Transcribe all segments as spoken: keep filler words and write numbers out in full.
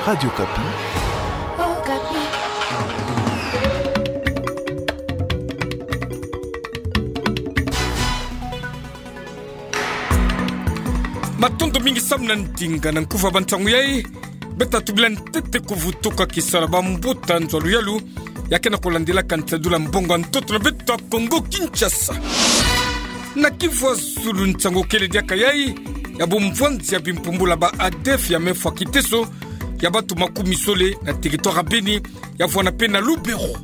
Radio Okapi. Matondo mingi samu na ndinga na nkufi ya bansangu yai. Beta tubila ntete kuvutuka kisala bambuta nzo ya luyalu ya kena kulandilaka nsadiwila mbongo ya ntoto na beto ya Kongo Kinshasa. Na Kivu ya Zulu, nsangu kele diaka yai ya bumvwanzi ya bimpumbula ba ADF ya mefwa kiteso ya batu makumi zole na territoire ya Beni, ya vwanda mpe na Lubero.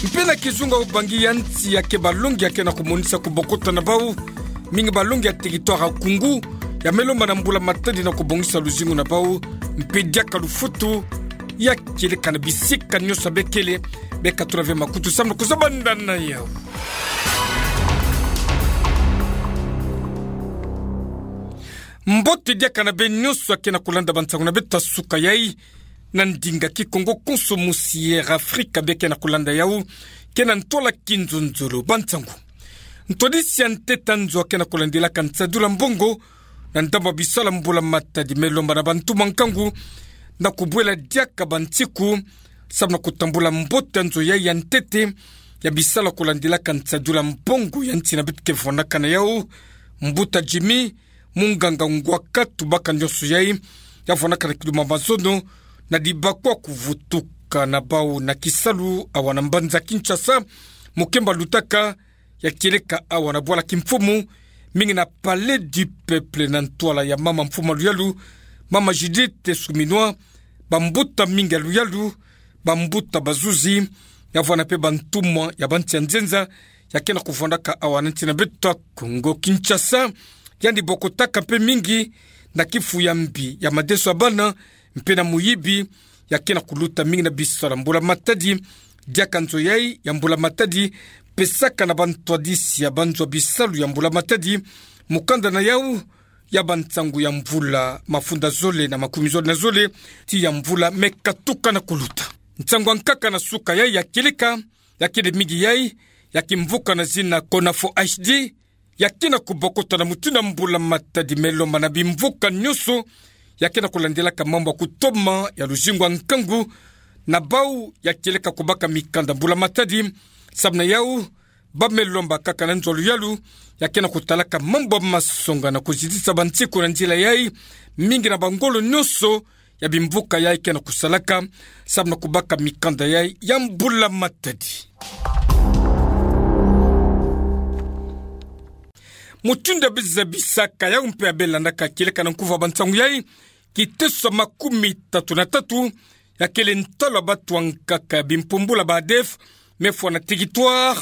Mpe na kizunga, obangi ya nsi ya ke balongi ya kena kumonisa kubokota na bau, mingi balongi ya territoire ya Koungou, ya melomba na mbula matadi na kubongisa luzingu na bau, mpe diaka lufutu ya kieleka na bisika nyonso ya bekele. Beka tula ve makutu samu na kuzabanda na yau. Mbote diaka na beno nyonso ya kena kulanda bansangu na beto ya suka yai, na ndinga Kikongo konso, musi Air Afrique bia kena kulanda yau, kena ntwala kinzonzolo. Bansangu. Ntwadisi ya ntete ya nzo ya kena kulandilaka nsadiwila mbongo na ndambu ya bisala mbula matadi melomba na bantu mankangu, na kubwela diaka bansiku samu na kutambula mbote ya nzo yai ya ntete ya bisala kulandilaka nsadiwila mbongo ya nsi na beto ke vwandaka na yau. Mbuta Jimmy, munganga ngwaka tubaka nyonso yai, ya vwandaka na kilumbu ya mazono, na dibakwa kuvutuka na bau na kisalu awa na mbanza Kinshasa, mokemba lutaka ya kieleka awa na bwala kimfumu, mingi na Palais du Peuple, na ntwala ya mama mfumu ya luyalu, mama Judith Suminwa, bambuta mingi ya luyalu, bambuta bazuzi, ya vwanda mpe bantumwa ya bansi ya nzenza ya kena kuvwandaka awa na nsi na beto ya Kongo Kinshasa. Yandi bokotaka mpe mingi na kifu ya mbi, ya madeso ya bana, mpe na muyibi, ya kena kuluta mingi na bisala mbula matadi. Diaka nzo yai ya mbula matadi pesaka na bantwadisi ya banzo ya bisalu ya mbula matadi mukanda na yau ya bansangu ya mvula mafunda zole na makumi zole na zole, ti ya mvula me katuka na kuluta. Nsangu ya nkaka na suka yai ya kieleka, ya kele mingi yai, ya kimvuka na zina Konafo H D, ya kena kubokota na mutindu ya mbula matadi melomba na bimvuka nyonso ya kena kulandilaka mambu ya kutoma ya luzingu ya nkangu na bau ya kieleka kubaka mikanda mbula matadi. Samu na yau, ba melomba kaka na nzo ya luyalu ya kena kutalaka mambu ya masonga na kuzitisa bansiku na nzila yai, mingi na bangolo nyonso ya bimvuka yai kena kusalaka samu na kubaka mikanda yai ya mbula matadi. Mutindu ya biza bisaka yau mpe ya belandaka kieleka na nkufi ya bansangu yai, kiteso ya makumi tatu na tatu ya kele ntalu ya batu ya nkaka ya bimpumbula ba ADF mefwa na territoire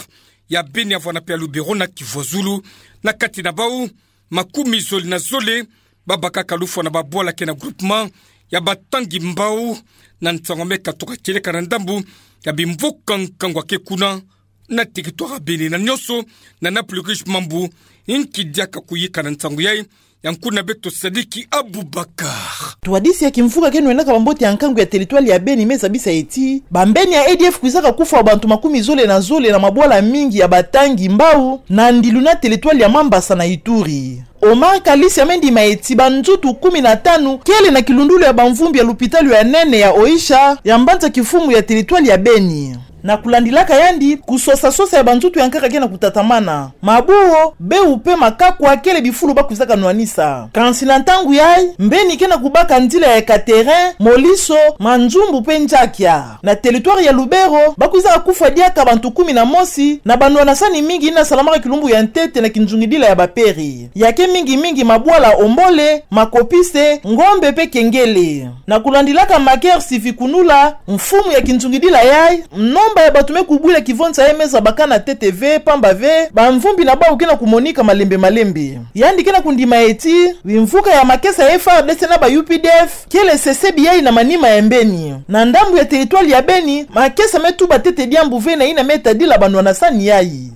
ya Beni, ya vwanda mpe ya Lubero na Kivu ya Zulu. Na kati na bau, makumi zole na zole babakaka lufwa na babwala ke na groupement ya Batangi Mbau, na nsangu me katuka kieleka na ndambu ya bimvuka nkangu ya ke kuna na territoire ya Beni. Na nyonso, na Napoli Riche Mambu, inki diaka kuyika na nsangu yai, ya nkuna beto Sadiki Abubakar. Ntwadisi ya kimvuka ke nwenaka bambote ya nkangu ya territoire ya Beni me zabisa ti bambeni ya ADF kwizaka kufwa bantu makumi zole na zole na mabwala mingi ya Batangi Mbau, na ndilu na territoire ya Mambasa na Ituri. Omar Kalisi ame ndima ti banzutu kumi na tanu kele na kilundulu ya bamvumbi ya lupitalu ya nene ya Oisha ya mbanza kifumu ya territoire ya Beni. Na kulandilaka yandi, kusosa-sosa ya banzutu ya nkaka ke na kutatamana. Mabuo, beu mpe makakwa kele bifulu ba kwizaka nwanisa. Kansi na ntangu yai, mbeni ke na kubaka nzila ya Katerin, Moliso, Manzumbu mpe Nzakia. Na territoire ya Lubero, ba kwizaka kufwa diaka bantu kumi na mosi na banwanasani mingi yina salamaka kilumbu ya ntete na kinzungidila ya baperi. Ya ke mingi-mingi mabwala Ombole, Makopise, Ngombe mpe Kengele. Na kulandilaka Maker Sivikunula, mfumu ya kinzungidila yai, nomba ya bantu me kubwila kivonza yai me zabakana ntete ve, pamba ve bamvumbi na bau ke na kumonika malembe-malembe. Yandi ke na kundima ti bimvuka ya makesa ya FARDC na ba UPDF kele sesebi yai na manima ya mbeni. Na ndambu ya territoire ya Beni, makesa me tuba ntete diambu ve na yina me tadila banwanasani yai.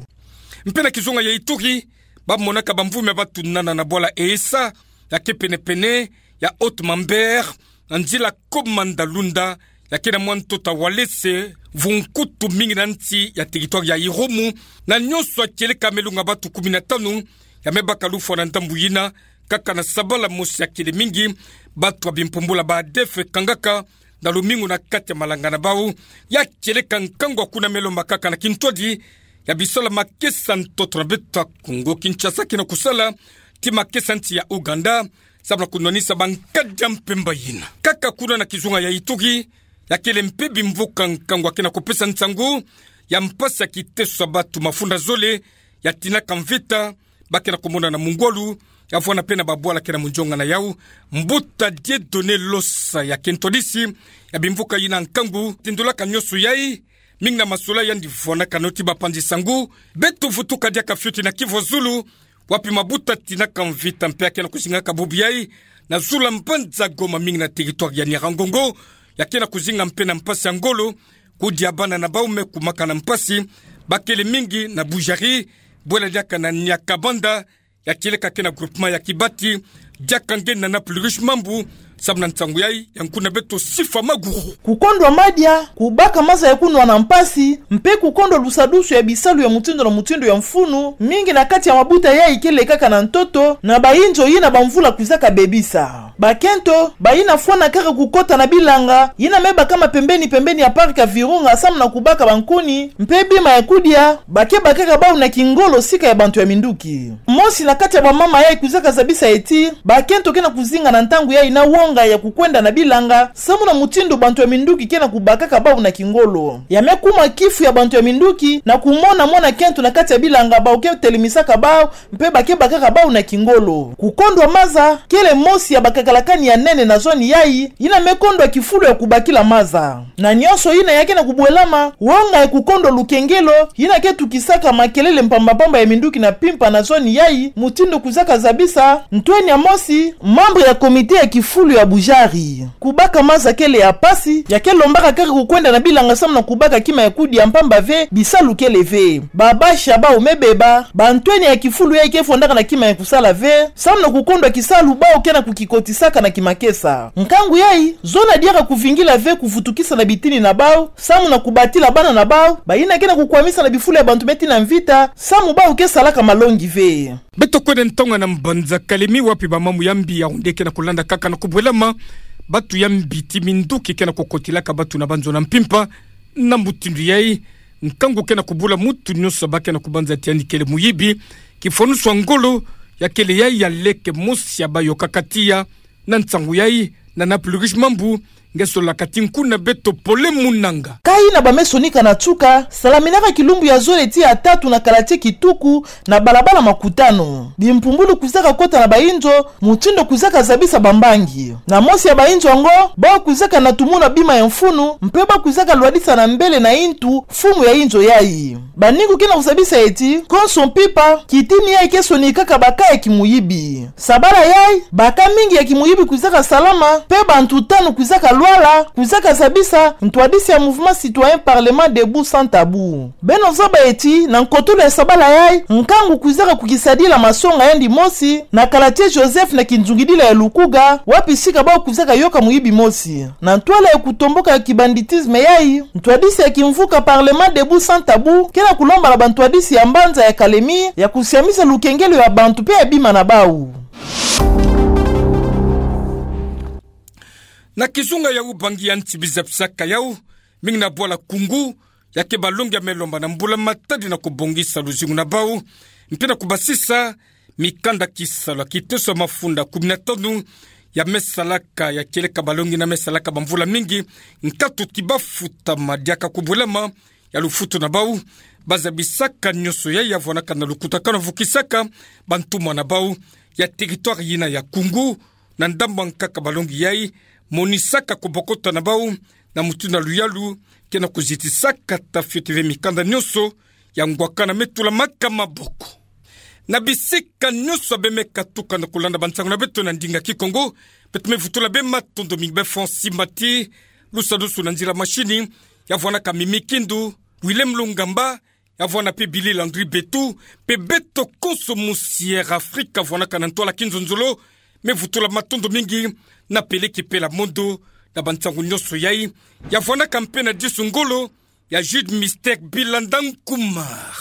Mpe na kizunga ya Ituri, ba monaka bamvumbi ya batu nana na bwala Esa, ya ke pene-pene ya Haut-Mambere, na nzila Komanda-Lunda, ya ke na mwa ntoto Walese, vunkutu mingi na nsi ya territoire ya Irumu, na nyonso ya kieleka melunga batu kumi na tanu ya me baka lufwa na ndambu yina, kaka na sabala mosi ya kele mingi, batu ya bimpumbula ba ADF kangaka na lumingu na kati ya malanga na bau, ya kieleka nkangu ya kuna me lomba kaka na kintwadi ya bisalu ya makesa ntoto na beto ya Kongo Kinshasa ke na kusala tii makesa nsi ya Ouganda, samu na kunwanisa bankadi ya mpemba yina. Kaka kuna na kizunga ya Ituri, ya kele mpe bimvuka nkangu ya ke na kupesa nsangu ya mpasi ya kiteso ya batu mafunda zole ya tinaka mvita, ba ke na kumona na mungwalu, ya vwanda mpe na babwala ke na munzonga na yau. Mbuta Dieudonné Losa ya ke ntwadisi ya bimvuka yina nkangu, tindolaka nionso yai, mingi na masolo yandi vwanakana tii bapanzi sangu. Beto vutuka diaka fioti na Kivu ya zulu, wapi mabuta tinaka mvita mpe ya ke na kuzingaka bubu yai na zulu ya mbanza Goma, mingi na territoire ya Nyiragongo, ya ke na kuzinga mpe na mpasi ya ngolo, kudia bana na bau me kumaka na mpasi. Ba kele mingi na Budjari, bwela diaka na Nyakabanda, ya kieleka ke na groupement ya Kibati, diaka nge na Naples Riche Mambu, samu na nsangu yai ya nkuna beto Sifa Maguru. Kukondwa madia, kubaka maza ya kunwa na mpasi, mpe kukondwa lusadusu ya bisalu ya mutindu na mutindu ya mfunu, mingi na kati ya mabuta yai ke lekaka na ntoto, na bayinzo yina bamvula kwizaka bebisa. Bakento, bayina fwana kaka kukota na bilanga yina me bakama pembeni-pembeni ya parc ya Virunga samu na kubaka bankuni mpe bima ya kudia, ba ke bakaka bau na kingolo sika ya bantu ya minduki. Mosi na kati ya bamama yai kwizaka zabisa ti, bakento ke na kuzinga na ntangu yai na wonga ya kukwenda na bilanga, samu na mutindu bantu ya minduki ke na kubakaka bau na kingolo. Ya me kuma kifu ya bantu ya minduki na kumona mwana kento na kati ya bilanga bau ke telemisaka bau, mpe ba ke bakaka bau na kingolo. Kukondwa maza, kele mosi ya bakakalakani ya nene na zone yai, yina me kondwa kifulu ya kubakila maza. Na nionso yina ya ke na kubwelama, wonga ya kukondwa lukengelo, yina ke tukisaka makelele mpamba-mpamba ya minduki na mpimpa na zone yai, mutindu kwizaka zabisa, ntweni ya mosi, membre ya comité ya kifulu ya Budjari. Kubaka maza kele ya mpasi, ya ke lombaka kaka kukwenda na bilanga samu na kubaka kima ya kudia mpamba ve, bisalu kele ve. Babasha bau me beba, bantweni ya kifulu yai ke fondaka na kima ya kusala ve, samu na kukondwa kisalu bau ke na kukikotisaka na kimakesa. Nkangu yai, zona diaka kuvingila ve kuvutukisa na bitini na bau, samu na kubatila bana na bau, bayina ke na kukwamisa na bifulu ya bantu me tii na mvita, samu bau ke salaka malongi ve. Beto kwenda ntonga na mbanza Kalemi wapi bamamu ya mbi ya onde ke na kulanda kaka na kubwelama, batu ya mbi tii minduki ke na kukotilaka batu na banzo na mpimpa. Na mutindu yai, nkangu ke na kubula mutu nionso ba ke na kubanza ti yandi kele muyibi, kifwanusu ya ngolo, ya kele yai ya leke mosi ya bayokaka tiya, na nsangu yai, na Naples Riche Mambu, nge solaka ti nkuna beto Pole Munanga. Ka yina ba me sonika na tuka, salaminaka kilumbu ya zole tii ya tatu na quartier Kituku, na balabala Makutano. Bimpumbulu kwizaka kota na bayinzo, mutindu kwizaka zabisa bambangi. Na mosi ya bayinzo yango, bau kwizaka na tumuna bima ya mfunu, mpe bau kwizaka lwadisa na mbele na yintu, mfumu ya yinzo yai. Baningu ke na kuzabisa ti, konso mpimpa, kitini yai ke sonikaka baka ya kimuyibi. Sabala yai, baka mingi ya kimuyibi kwizaka salama, mpe bantu tanu kwizaka lwala, kwizaka zabisa ntwadisi ya Mouvement Citoyen Parlement Debout Sans Tabou. Beno zaba ti, na nkotolo ya sabala yai, nkangu kwizaka kukisadila masonga yandi mosi, na quartier Joseph na kinzungidila ya Lukuga, wapi sika bau kwizaka yoka muyibi mosi. Na ntwala ya kutomboka ya kibanditisme yai, ntwadisi ya kimvuka Parlement Debout Sans Tabou ke na kulomba na bantwadisi ya mbanza ya Kalemi ya kusiamisa lukengelo ya bantu mpe ya bima na bau. Na kizunga ya Ubangi ya nsi biza pisaka yau, mingi na bwala Kungu, ya ke balongi ya me lomba na mbula matadi na kubongisa luzingu na bau, mpe na kubasisa mikanda kisalu ya kiteso ya mafunda kumi na tanu ya me salaka, ya kieleka balongi yina me salaka bamvula mingi, nkatu ti bafutama diaka kubwelama ya lufutu na bau. Bazabisaka nionso yai ya vwanaka na lukutakanu ya vukisaka bantumwa na bau ya territoire yina ya Kungu, na ndambu ya nkaka balongi yai, monisaka kubokota na bau, na mutindu ya luyalu, ke na kuzitisaka ta fioti ve mikanda nionso ya ngwakana me tulamaka maboko. Na bisika nionso ya be me katuka na kulanda bansangu na beto na ndinga Kikongo, beto me vutula be matondo mingi be Francis Mati, lusadusu na nzila machine, ya vwanaka Mimi Kindu, Willem Lungamba, ya vwana mpe Billy Landry Betu, mpe beto konso mu Sierra Africa vwanaka na ntwala kinzonzolo, me vutula matondo mingi na Peleki Pela Mondo, na bansangu nionso yai, ya vwanaka mpe na disu ngolo ya Jude Mister Bilanda Nkumar.